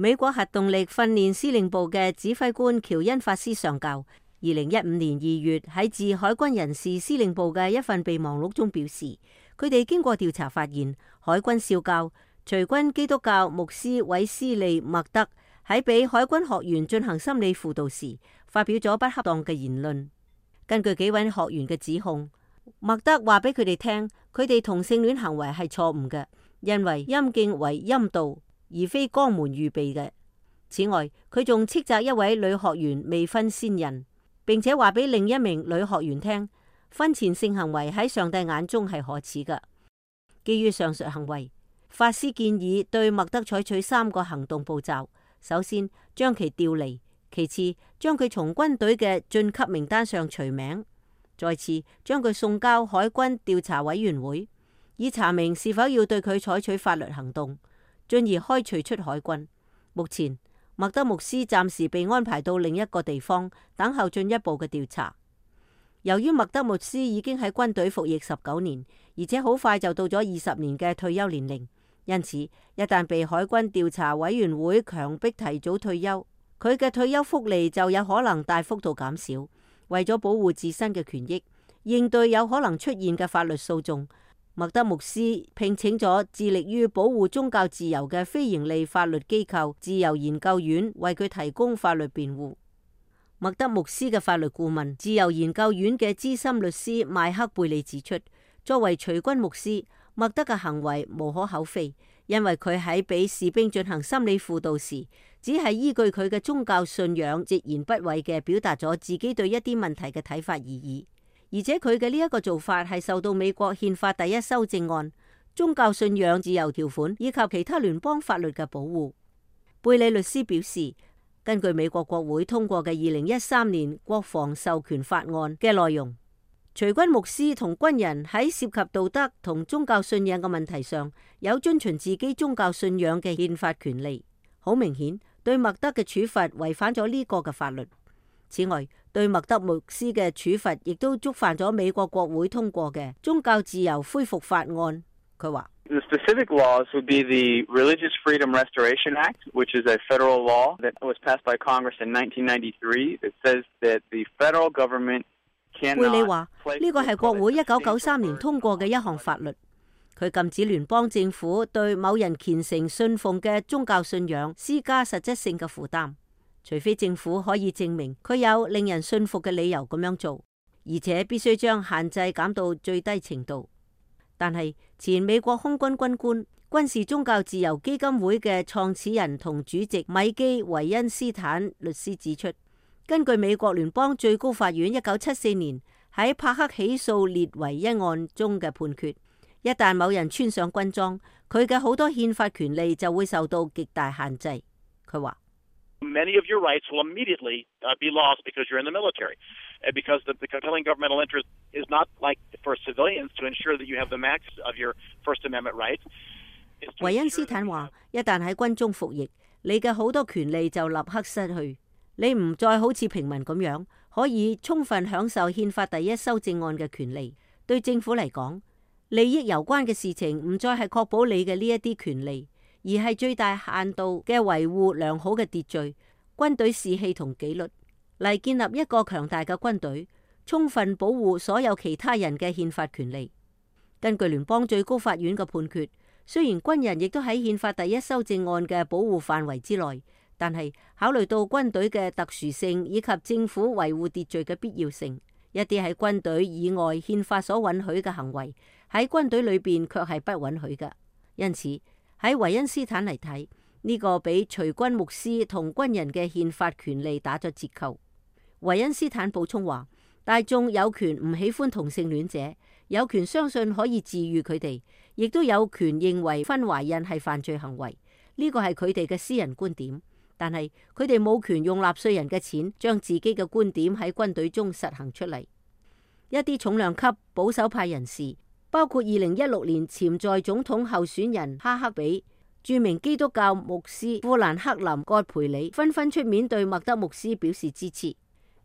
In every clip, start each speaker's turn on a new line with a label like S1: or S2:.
S1: 美國核動力訓練司令部嘅指揮官喬恩法斯上校，2015年2月喺致海軍人事司令部嘅一份備忘錄中表示，佢哋經過調查發現，海軍少校隨軍基督教牧師韋斯利·麥德喺俾海軍學員進行心理輔導時，發表咗不恰當嘅言論。根據幾位學員嘅指控，麥德話俾佢哋聽，佢哋同性戀行為係錯誤嘅，因為陰莖為陰道，而非肛門預備嘅。此外，佢仲斥責一位女學員未婚先孕，並且話俾另一名女學員聽，婚前性行為喺上帝眼中係可恥嘅。基於上述行為，法師建議對麥德採取3個行動步驟：首先，將其調離；其次，將佢從軍隊嘅晉級名單上除名；再次，將佢送交海軍調查委員會，以查明是否要對佢採取法律行動，進而開除出海軍。目前，麥德牧師暫時被安排到另一個地方，等候進一步嘅調查。由於麥德牧師已經喺軍隊服役19年，而且好快就到咗20年嘅退休年齡，因此一旦被海軍調查委員會強迫提早退休，佢嘅退休福利就有可能大幅度減少。為咗保護自身嘅權益，應對有可能出現嘅法律訴訟，麥德牧師聘請咗致力於保護宗教自由嘅非營利法律機構自由研究院為佢提供法律辯護。麥德牧師嘅法律顧問自由研究院嘅資深律師邁克貝利指出，作為隨軍牧師，麥德嘅行為無可厚非，因為佢喺俾士兵進行心理輔導時，只係依據佢嘅宗教信仰，直言不諱嘅表達咗自己對一啲問題嘅睇法而已。而且佢嘅呢一個做法係受到美國憲法第1修正案、宗教信仰自由條款以及其他聯邦法律嘅保護。貝利律師表示，根據美國國會通過嘅2013年國防授權法案嘅內容，隨軍牧師同軍人喺涉及道德同宗教信仰嘅問題上，有遵循自己宗教信仰嘅憲法權利。好明顯，對麥德嘅處罰違反咗呢個嘅法律。此外，對麥德牧師嘅處罰亦都觸犯咗美國國會通過嘅宗教自由恢復法案。佢話
S2: ：The specific laws would be the Religious Freedom Restoration Act, which is a federal law that was passed by Congress in 1993. It says that the federal government cannot.
S1: 貝利話：呢個係國會1993年通過嘅一項法律。佢禁止聯邦政府對某人虔誠信奉嘅宗教信仰施加實質性嘅負擔，除非政府可以證明佢有令人信服嘅理由咁樣做，而且必須將限制減到最低程度。但係前美國空軍軍官、軍事宗教自由基金會嘅創始人同主席米基·維恩斯坦律師指出，根據美國聯邦最高法院1974年喺帕克起訴列維一案中嘅判決，一旦某人穿上軍裝，佢嘅好多憲法權利就會受到極大限制。佢話
S3: ：Many of your rights will immediately be lost because you're in the military, and because the compelling governmental interest is not like for civilians to ensure that you have the max of your First Amendment rights.
S1: 維恩斯坦話：一旦喺軍中服役，你嘅好多權利就立刻失去，你唔再好似平民咁樣可以充分享受憲法第1修正案嘅權利。對政府嚟講，利益攸關嘅事情唔再係確保你嘅呢一啲權利，而係最大限度嘅維護良好嘅秩序、軍隊士氣同紀律，嚟建立一個強大嘅軍隊，充分保護所有其他人嘅憲法權利。根據聯邦最高法院嘅判決，雖然軍人亦都喺憲法第1修正案嘅保護範圍之內，但係考慮到軍隊嘅特殊性以及政府維護秩序嘅必要性，一啲喺軍隊以外憲法所允許嘅行為，喺軍隊裏邊卻係不允許嘅。因此喺維恩斯坦嚟睇，呢個俾隨軍牧師同軍人嘅憲法權利打咗折扣。維恩斯坦補充話：大眾有權唔喜歡同性戀者，有權相信可以治癒佢哋，亦都有權認為婚懷孕係犯罪行為。呢個係佢哋嘅私人觀點，但係佢哋冇權用納稅人嘅錢將自己嘅觀點喺軍隊中實行出嚟。一啲重量級保守派人士，包括2016年潛在總統候選人哈克比、著名基督教牧師富蘭克林葛培理，紛紛出面對麥德牧師表示支持。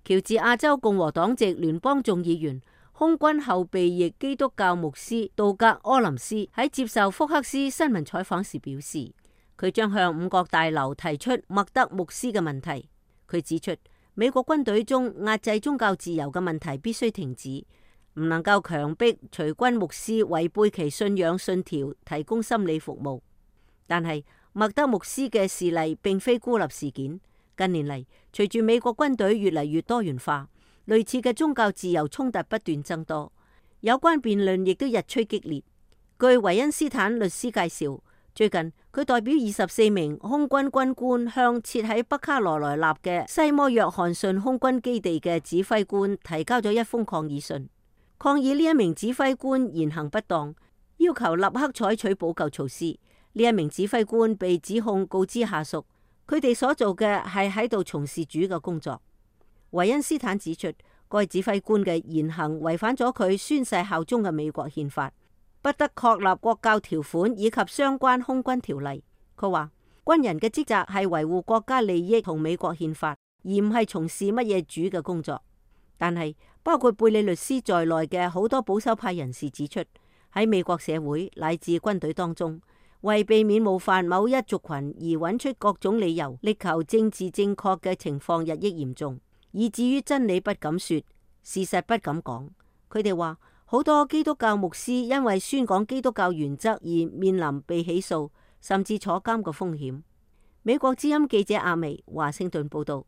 S1: 喬治亞州共和黨籍聯邦眾議員、空軍後備役基督教牧師杜格柯林斯喺接受福克斯新聞採訪時表示，佢將向五角大樓提出麥德牧師嘅問題。佢指出，美國軍隊中壓制宗教自由嘅問題必須停止，唔能夠強迫隨軍牧師違背其信仰信條提供心理服務。但係麥德牧師嘅事例並非孤立事件。近年嚟，隨住美國軍隊越嚟越多元化，類似嘅宗教自由衝突不斷增多，有關辯論亦都日趨激烈。據維恩斯坦律師介紹，最近佢代表24名空軍軍官向設喺北卡羅來納嘅西摩約翰遜空軍基地嘅指揮官提交咗一封抗議信，抗議呢一名指揮官言行不當，要求立刻採取補救措施。呢一名指揮官被指控告知下屬，佢哋所做嘅係喺度從事主嘅工作。維恩斯坦指出，該指揮官嘅言行違反咗佢宣誓效忠嘅美國憲法，不得確立國教條款以及相關空軍條例。佢話軍人嘅職責係維護國家利益同美國憲法，而唔係從事乜嘢主嘅工作。但係包括貝里律師在內嘅好多保守派人士指出，喺美國社會乃至軍隊當中，為避免冒犯某一族群而揾出各種理由，力求政治正確嘅情況日益嚴重，以至於真理不敢說，事實不敢講。佢哋話好多基督教牧師因為宣講基督教原則而面臨被起訴，甚至坐監嘅風險。美國之音記者阿薇華盛頓報道。